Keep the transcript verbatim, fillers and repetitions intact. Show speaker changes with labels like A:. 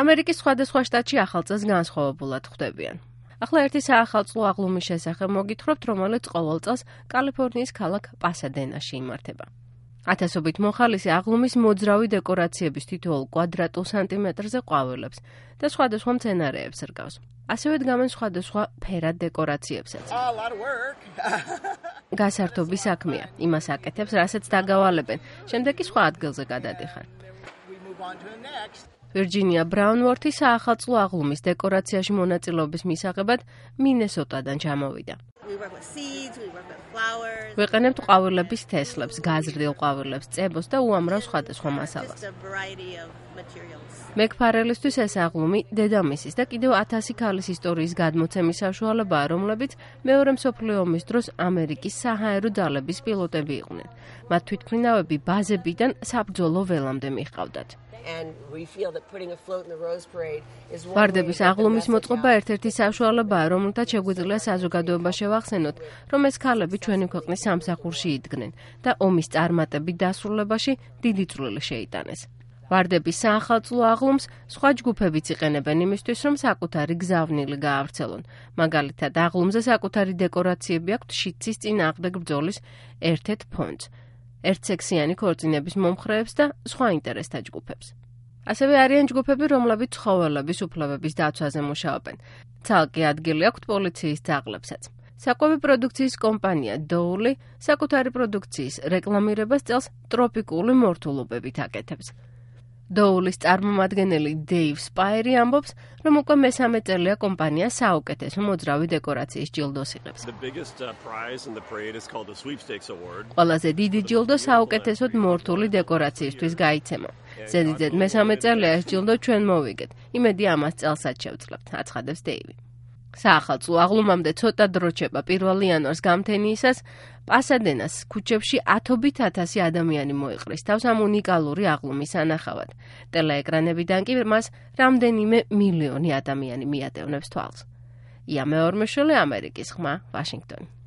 A: ამერიკის სხვადასხვა შტატში ახალ წელს განსხვავებულად ხვდებიან. ახლა ერთი საახალწლო აღლუმის შესახებ მოგითხრობთ, რომელიც ყოველ წელს კალიფორნიის ქალაქ პასადენაში იმართება. ათასობით მოხალისი აღლუმის მოძრავი დეკორაციების თითოეულ კვადრატულ სანტიმეტრზე ყვავილებს და სხვადასხვა მცენარეებს რგავს. ასევე დგამენ სხვადასხვა ფერად დეკორაციებსაც. გასართობი საქმეა, იმას აკეთებს, რასაც დაგავალებენ, შემდეგ კი სხვა ადგილზე გადადიხარ. ვირჯინია ბრაუნვორთი საახალწლო აღლუმის დეკორაციაში მონაწილეობის მისაღებად მინესოტადან ჩამოვიდა. ვიყენებთ ყვავილების თესლებს, გაზრდილ ყვავილებს, წებოს და უამრავ სხვადასხვა მასალას. მეგ ფარელისთვის ეს აღლუმი დედამისის და კიდევ ათასი ქალის ისტორიის გადმოცემის საშუალებაა, რომლებიც მეორე მსოფლიო ომის დროს ამერიკის საჰაერო ძალების პილოტები იყვნენ. მათ თვითმფრინავები ბაზებიდან საბრძოლო ველამდე მიჰყავდათ. ვარდების აღლუმის მოწყობა ერთ-ერთი საშუალებაა, რომელთაც შეგვიძლია საზოგადოება შევახსენოთ, რომ ეს ქალები ჩვენი ქვეყნის სამსახურში იდგნენ და ომის წარმატებით დასრულებაში დიდი წვლილი შეიტანეს. ვარდების საახალწლო აღლუმს სხვა ჯგუფებიც იყენებენ იმისთვის, რომ საკუთარი გზავნილი გაავრცელონ. მაგალითად, აღლუმზე საკუთარი დეკორაციები აქვთ შიდსის წინააღმდეგ ბრძოლის ერთ-ერთ ფონდს, ერთსექსიანი ქორწინების მომხრეებს და სხვა ინტერესთა ჯგუფებს. ასევე არიან ჯგუფები, რომლებიც ცხოველების უფლებების დაცვაზე მუშაობენ. ცალკე ადგილი აქვთ პოლიციის ძაღლებსაც. საკვები პროდუქციის კომპანია დოული საკუთარი პროდუქციის რეკლამირებას წელს ტროპიკული მორთულობებით აკეთებს. დოულის წარმომადგენელი დეივ სპაირი ამბობს, რომ უკვე მესამე წელია კომპანია საუკეთესო მოძრავი დეკორაციის ჯილდოს იღებს. ყველაზე დიდი ჯილდო საუკეთესოდ მორთული დეკორაციისთვის გაიცემა. ზედიზედ მესამე წელია ეს ჯილდო ჩვენ მოვიგეთ. იმედი ამას წელსაც შევძლებთ, აცხადებს დეივი. საახალწლო აღლუმამდე ცოტა დრო რჩება. პირველ იანვარს გამთენიისას პასადენას ქუჩებში ათობით ათასი ადამიანი მოიყრის თავს ამ უნიკალური აღლუმის ანახავად. ტელეეკრანებიდან კი მას რამდენიმე მილიონი ადამიანი მიატევნებს თვალს. ია მეორმეშვილი, ამერიკის ხმა, ვაშინგტონი.